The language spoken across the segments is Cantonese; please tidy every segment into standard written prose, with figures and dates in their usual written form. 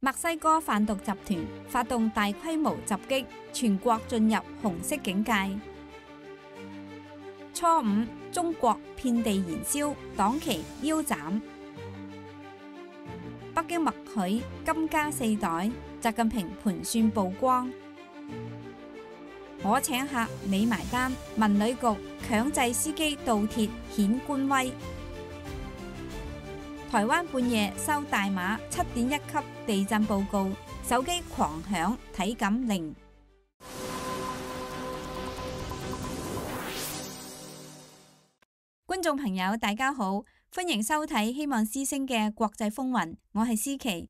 墨西哥販毒集團發動大規模襲擊，全國進入紅色警戒。初五，中國遍地燃燒，黨旗腰斬。北京默許金加4袋，習近平盤算曝光。我請客你埋單，文旅局強制司機倒鐵顯官威。台灣半夜收大馬7.1級地震報告，手機狂響，體感零。觀眾朋友大家好，歡迎收睇希望之聲嘅國際風雲，我係思琪。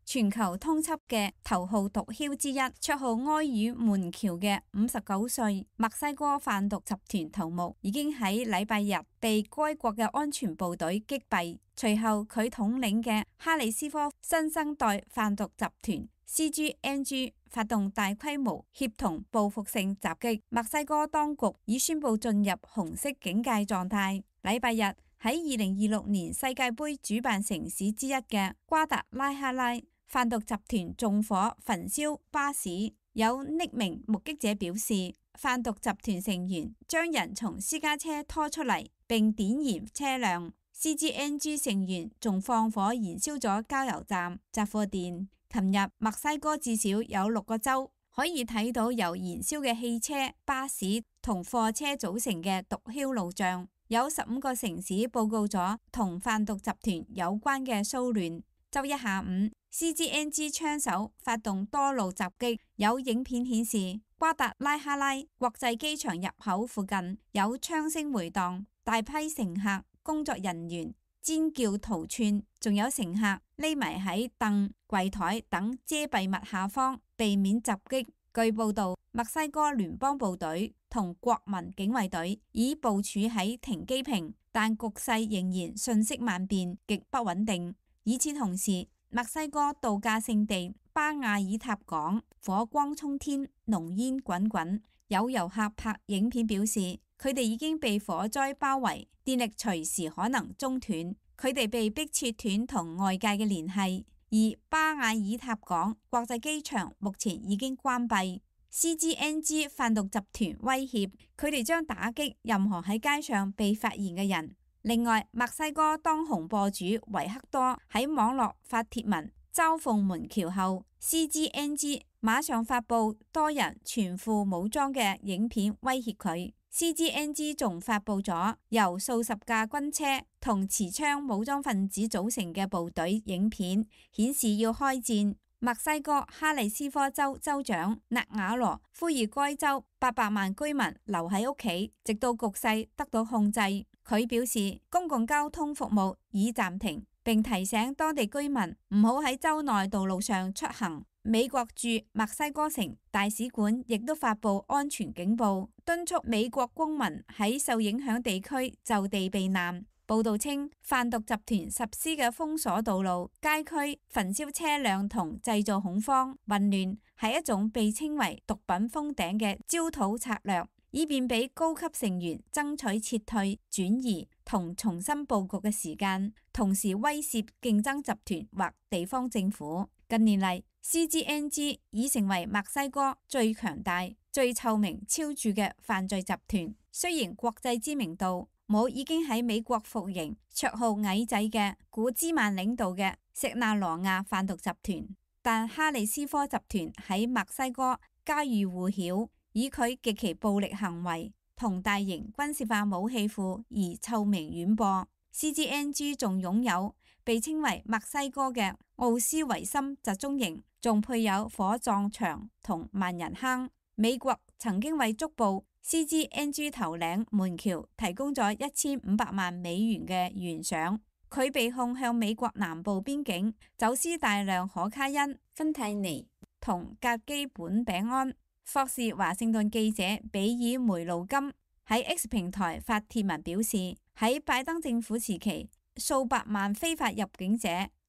全球通緝嘅頭號毒梟之一，綽號埃爾門橋嘅59歲墨西哥販毒集團頭目，已經喺禮拜日被該國嘅安全部隊擊斃。隨後佢統領嘅哈里斯科新生代販毒集團 CGNG 發動大規模協同報復性襲擊，墨西哥當局已宣布進入紅色警戒狀態。禮拜日喺2026年世界盃主辦城市之一嘅瓜達拉哈拉，販毒集團縱火焚燒巴士，有匿名目擊者表示，販毒集團成員將人從私家車拖出嚟並點燃車輛。CGNG 成員仲放火燃燒咗加油站、雜貨店。琴日墨西哥至少有6個州可以睇到由燃燒嘅汽車、巴士同貨車組成嘅毒梟路障，有15個城市報告咗同販毒集團有關嘅騷亂。周一下午，CGNG 槍手發動多路襲擊，有影片顯示瓜達拉哈拉國際機場入口附近有槍聲回盪，大批乘客、工作人員尖叫逃竄，仲有乘客匿埋喺凳、櫃台等遮蔽物下方避免襲擊。據報道，墨西哥聯邦部隊同國民警衛隊已部署喺停機坪，但局勢仍然瞬息萬變，極不穩定。與此同時，墨西哥度假勝地巴亞爾塔港火光衝天，濃煙滾滾。有遊客拍影片表示，佢哋已經被火災包圍，電力隨時可能中斷，佢哋被迫切斷同外界嘅聯繫。而巴亞爾塔港國際機場目前已經關閉。CGNG 販毒集團威脅佢哋將打擊任何喺街上被發現嘅人。另外，墨西哥當紅播主維克多喺網絡發帖文嘲諷門橋後， CGNG 馬上發布多人全副武裝嘅影片威脅佢。CGNG 仲發布咗由數十架軍車同持槍武裝分子組成嘅部隊影片，顯示要開戰。墨西哥哈里斯科州州長納瓦羅呼籲該州800萬居民留喺屋企，直到局勢得到控制。佢表示公共交通服務已暫停，並提醒當地居民唔好喺州內道路上出行。美國駐墨西哥城大使館亦都發布安全警報，敦促美國公民喺受影響地區就地避難。報道稱，販毒集團實施嘅封鎖道路、街區、焚燒車輛同製造恐慌、混亂，係一種被稱為毒品封頂嘅焦土策略，以便俾高級成員爭取撤退、轉移同重新佈局嘅時間，同時威懾競爭集團或地方政府。近年嚟，CGNG 已成為墨西哥最強大、最臭名昭著嘅犯罪集團。雖然國際知名度冇已經喺美國服刑、綽號矮仔嘅古茲曼領導嘅錫納羅亞販毒集團，但哈里斯科集團喺墨西哥家喻戶曉，以佢極其暴力行為同大型軍事化武器庫而臭名遠播。CGNG 仲擁有被稱為墨西哥嘅奧斯維森集中營，仲配有火葬場同萬人坑。美國曾經為捉捕CGNG 頭領門橋提供咗1500萬美元嘅懸賞。佢被控向美國南部邊境走私大量可卡因、芬太尼同甲基苯丙胺。霍士華盛頓記者比爾梅魯金喺 X 平台發帖文表示，喺拜登政府時期，數百萬非法入境者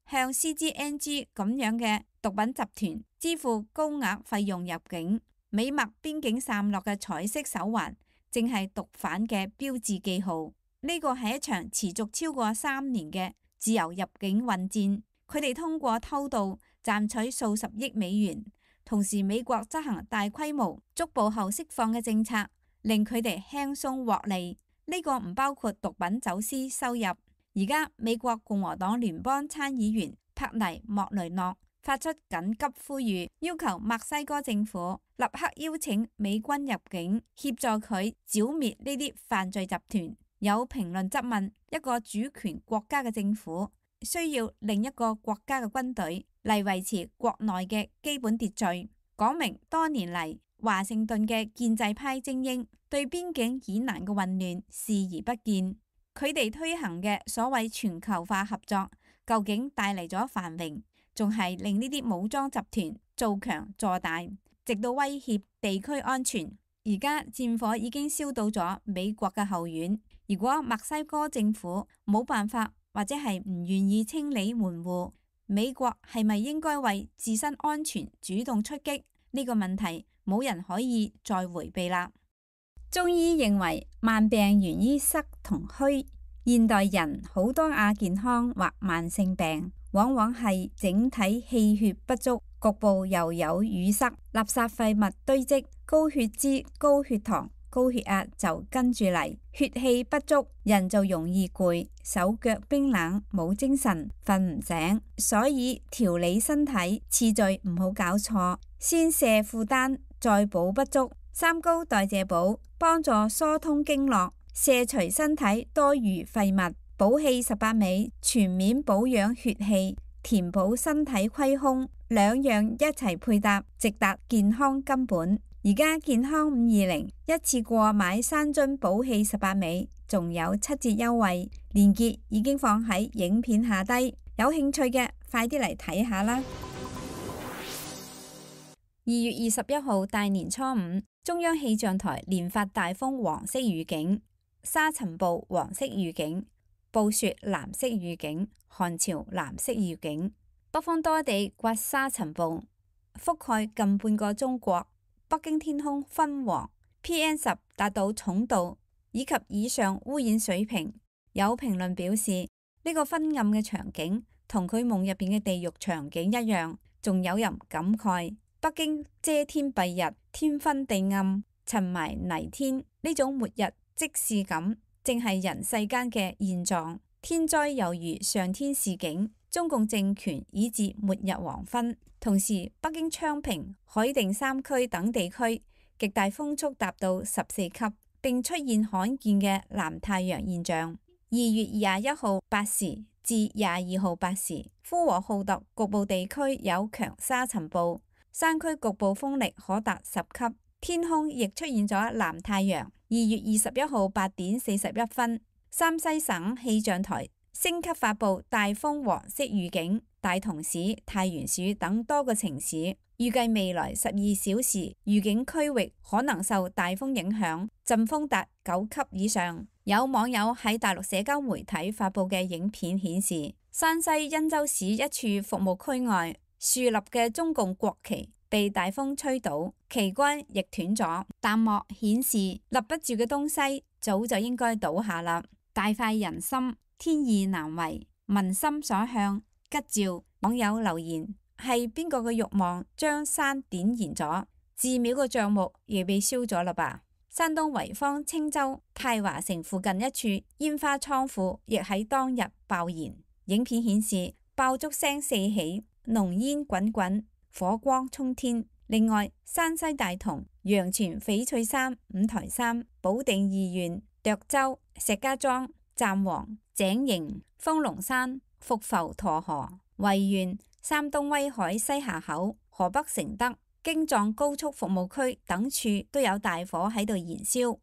向 CGNG 咁樣嘅毒品集團支付高額費用入境。美墨邊境散落嘅彩色手環，正係毒販嘅標誌記號。呢個係一場持續超過3年嘅自由入境混戰。佢哋通過偷渡賺取數十億美元。同時，美國執行大規模捉捕後釋放嘅政策，令佢哋輕鬆獲利。呢個唔包括毒品走私收入。而家美國共和黨聯邦參議員帕尼莫雷諾發出緊急呼籲，要求墨西哥政府立刻邀請美軍入境，協助佢剿滅呢啲犯罪集團。有評論質問，一個主權國家嘅政府需要另一個國家嘅軍隊嚟維持國內嘅基本秩序，講明多年嚟華盛頓嘅建制派精英對邊境以南嘅混亂視而不見。佢哋推行嘅所謂全球化合作，究竟帶嚟咗繁榮，仲係令呢啲武裝集團做強做大，直到威脅地區安全。而家戰火已經燒到咗美國嘅後院。如果墨西哥政府冇辦法或者係唔願意清理門戶，美國係咪應該為自身安全主動出擊？呢個問題冇人可以再迴避啦。中醫認為慢病源於濕同虛，現代人好多亞健康或慢性病，往往係整體氣血不足，局部又有淤塞，垃圾廢物堆積，高血脂、高血糖、高血壓就跟住嚟，血氣不足，人就容易攰，手腳冰冷，冇精神，瞓唔醒。所以調理身體次序唔好搞錯，先卸負擔，再補不足。三高代謝補幫助疏通經絡，卸除身體多餘廢物。補氣18味全面保養血氣，填補身體虧空，兩樣一齊配搭，直達健康根本。而家健康520一次過買3樽補氣18味，仲有7折優惠，鏈接已經放喺影片下低，有興趣嘅快啲嚟睇下啦。2月21號大年初五，中央氣象台連發大風黃色預警、沙塵暴黃色預警、暴雪藍色預警、寒潮藍色預警。北方多地刮沙塵暴，覆蓋近半個中國。北京天空昏黃 ，PM10達到重度以及以上污染水平。有評論表示，呢個昏暗嘅場景同佢夢入邊嘅地獄場景一樣。仲有人感慨，北京遮天蔽日，天昏地暗，塵霾泥天，呢種末日即視感，正係人世間嘅現狀。天災猶如上天示警，中共政權已至末日黃昏。同時，北京昌平、海淀3區等地區極大風速達到14級，並出現罕見嘅藍太陽現象。2月21號8時至22號8時，呼和浩特局部地區有強沙塵暴，山區局部風力可達10級，天空亦出現咗藍太陽。2月21號8點41分，山西省氣象台升級發布大風黃色預警，大同市、太原市等多個城市預計未來12小時預警區域可能受大風影響，陣風達9級以上。有網友喺大陸社交媒體發布嘅影片顯示，山西忻州市一處服務區外豎立嘅中共國旗被大風吹倒，旗杆亦斷咗，彈幕顯示立不住嘅東西早就應該倒下啦。大快人心，天意難違，民心所向，吉兆。網友留言，係邊個嘅慾望將山點燃咗？寺廟嘅帳目亦被燒咗啦吧？山東濰坊青州太華城附近一處煙花倉庫亦喺當日爆燃，影片顯示爆竹聲四起，濃煙滾滾，火光衝天。另外，山西大同、陽泉、翡翠山、五台山、保定二縣、涿州、石家莊、湛黃、井營、豐隆山、伏浮沱河、維縣、山東威海西峽口、河北承德、京藏高速服務區等處都有大火喺度燃燒。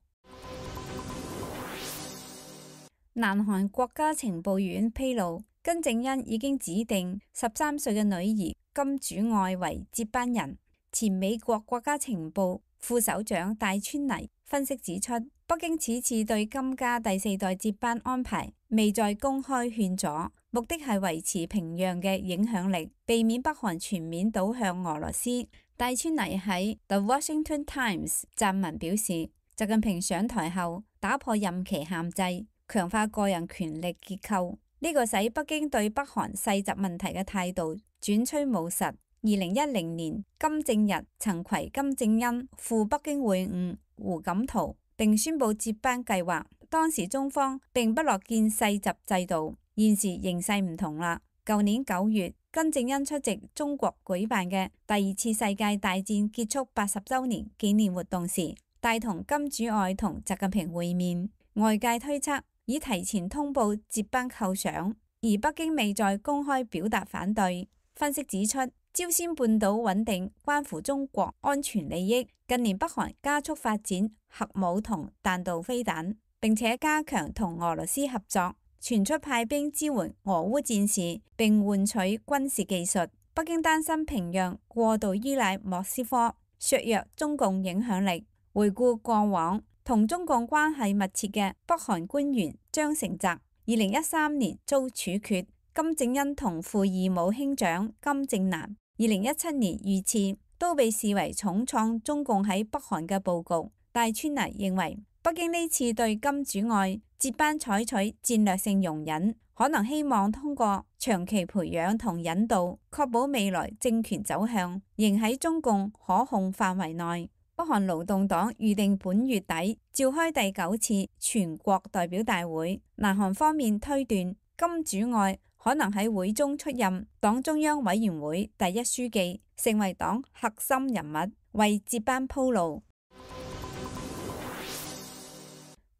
南韓國家情報院披露，金正恩已經指定13歲嘅女兒金主愛為接班人。前美國國家情報副首長戴川妮分析指出，北京此次對金家第4代接班安排未再公開勸阻，目的係維持平壤嘅影響力，避免北韓全面倒向俄羅斯。戴川妮喺 The Washington Times 撰文表示，習近平上台後打破任期限制，強化個人權力結構，呢個使北京對北韓細節問題嘅態度轉趨務實。2010年，金正日曾攜金正恩赴北京會晤胡錦濤，並宣布接班計劃。當時中方並不樂見世襲制度，現時形勢唔同啦。舊年9月，金正恩出席中國舉辦嘅第2次世界大戰結束80週年紀念活動時，帶同金主愛同習近平會面。外界推測已提前通報接班構想，而北京未再公開表達反對。分析指出，朝鮮半島穩定關乎中國安全利益。近年北韓加速發展核武同彈道飛彈，並且加強同俄羅斯合作，傳出派兵支援俄烏戰事，並換取軍事技術。北京擔心平壤過度依賴莫斯科，削弱中共影響力。回顧過往，同中共關係密切嘅北韓官員張成澤，2013年遭處決；金正恩同父異母兄長金正男，2017年遇刺，都被視為重創中共喺北韓嘅佈局。戴川妮認為，北京呢次對金主愛接班採取戰略性容忍，可能希望通過長期培養同引導，確保未來政權走向仍喺中共可控範圍內。北韓勞動黨預定本月底召開第9次全國代表大會，南韓方面推斷金主愛可能喺會中出任黨中央委員會第1書記，成為黨核心人物，為接班鋪路。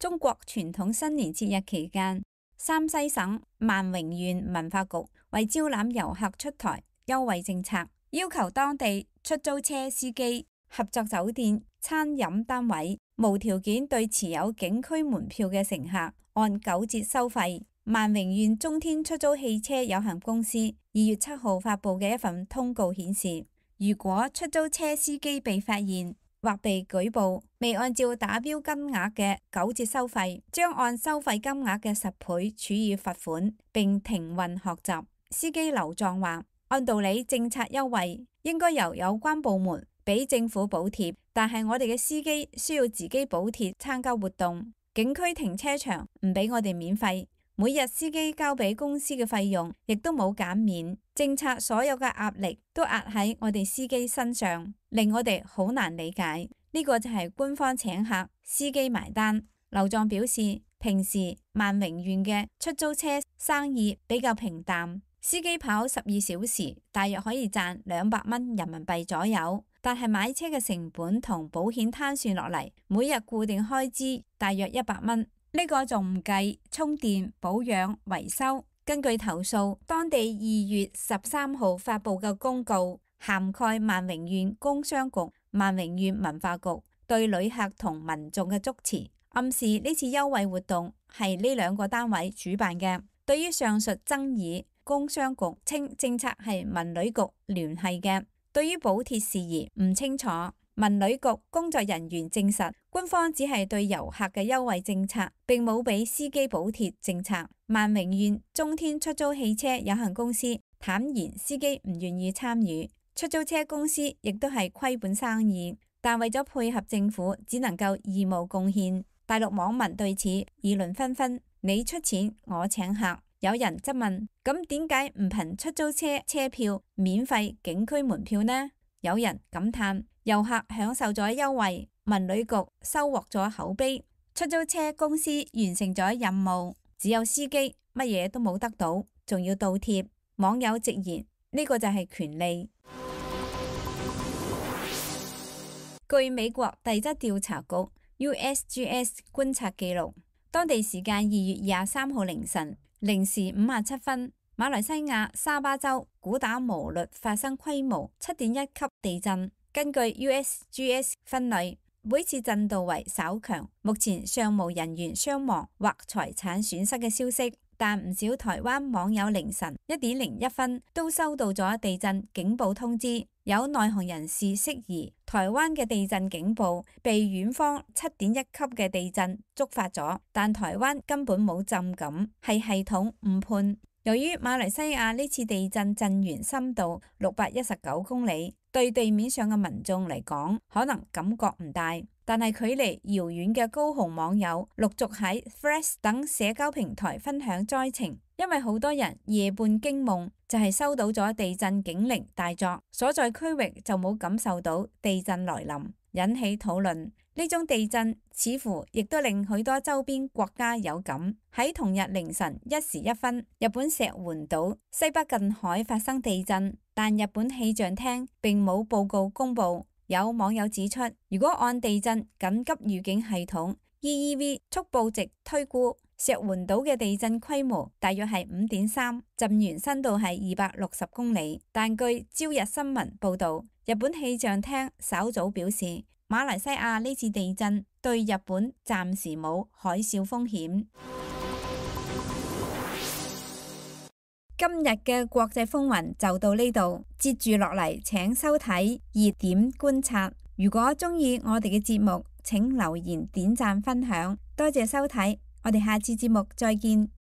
中國傳統新年節日期間，山西省萬榮縣文化局為招攬遊客出台優惠政策，要求當地出租車司機、合作酒店、餐飲單位無條件對持有景區門票嘅乘客按9折收費。萬榮縣中天出租汽車有限公司2月7號發布嘅一份通告顯示，如果出租車司機被發現或被舉報未按照打標金額嘅9折收費，將按收費金額嘅10倍處以罰款，並停運學習。司機劉壯話：按道理政策優惠應該由有關部門俾政府補貼，但係我哋嘅司機需要自己補貼參加活動，景區停車場唔俾我哋免費，每日司機交俾公司嘅費用亦都冇減免，政策所有嘅壓力都壓喺我哋司機身上，令我哋好難理解。呢個就係官方請客，司機埋單。劉壯表示，平時萬榮縣嘅出租車生意比較平淡，司機跑12小時，大約可以賺200蚊人民幣左右。但係買車嘅成本同保險攤算落嚟，每日固定開支大約100蚊。呢個仲唔計充電、保養、維修。根據投訴，當地2月13號發布嘅公告，涵蓋萬榮縣工商局、萬榮縣文化局對旅客同民眾嘅祝詞，暗示呢次優惠活動係呢2個單位主辦嘅。對於上述爭議，工商局稱政策係文旅局聯繫嘅。對於補貼事宜唔清楚，文旅局工作人員證實，官方只係對遊客嘅優惠政策，並冇俾司機補貼政策。萬榮縣中天出租汽車有限公司坦言，司機唔願意參與，出租車公司亦都係虧本生意，但為咗配合政府，只能夠義務貢獻。大陸網民對此議論紛紛，你出錢，我請客。有人質問：咁點解唔憑出租車車票免費景區門票呢？有人感嘆：遊客享受咗優惠，文旅局收穫咗口碑，出租車公司完成咗任務，只有司機乜嘢都冇得到，仲要倒貼。網友直言：呢個就係權利。據美國地質調查局 USGS 觀察記錄，當地時間2月23號凌晨0時57分，馬來西亞沙巴州古打磨律發生規模7.1級地震。根據 USGS 分類，每次震度為稍強，目前尚無人員傷亡或財產損失嘅消息。但唔少台灣網友凌晨1點01分都收到咗地震警報通知。有內行人士釋疑，台灣嘅地震警報被遠方7.1級嘅地震觸發咗，但台灣根本冇震感，係系統誤判。由於馬來西亞呢次地震震源深度619公里，對地面上嘅民眾嚟講，可能感覺唔大，但係距離遙遠嘅高雄網友陸續喺 Threads 等社交平台分享災情，因為好多人夜半驚夢就係收到咗地震警鈴大作，所在區域就冇感受到地震來臨，引起討論。呢種地震似乎亦都令許多周邊國家有感。喺同日凌晨1時1分，日本石垣島西北近海發生地震，但日本氣象廳並冇報告公佈。有網友指出，如果按地震緊急預警系統 EEV 速報值推估，石垣島嘅地震規模大約係5.3，震源深度係260公里。但據朝日新聞報導，日本氣象廳稍早表示，馬來西亞呢次地震對日本暫時冇海嘯風險。今日嘅國際風雲就到呢度，接住落嚟請收睇熱點觀察。如果鍾意我哋嘅節目，請留言、點讚、分享，多謝收睇，我哋下次節目再見。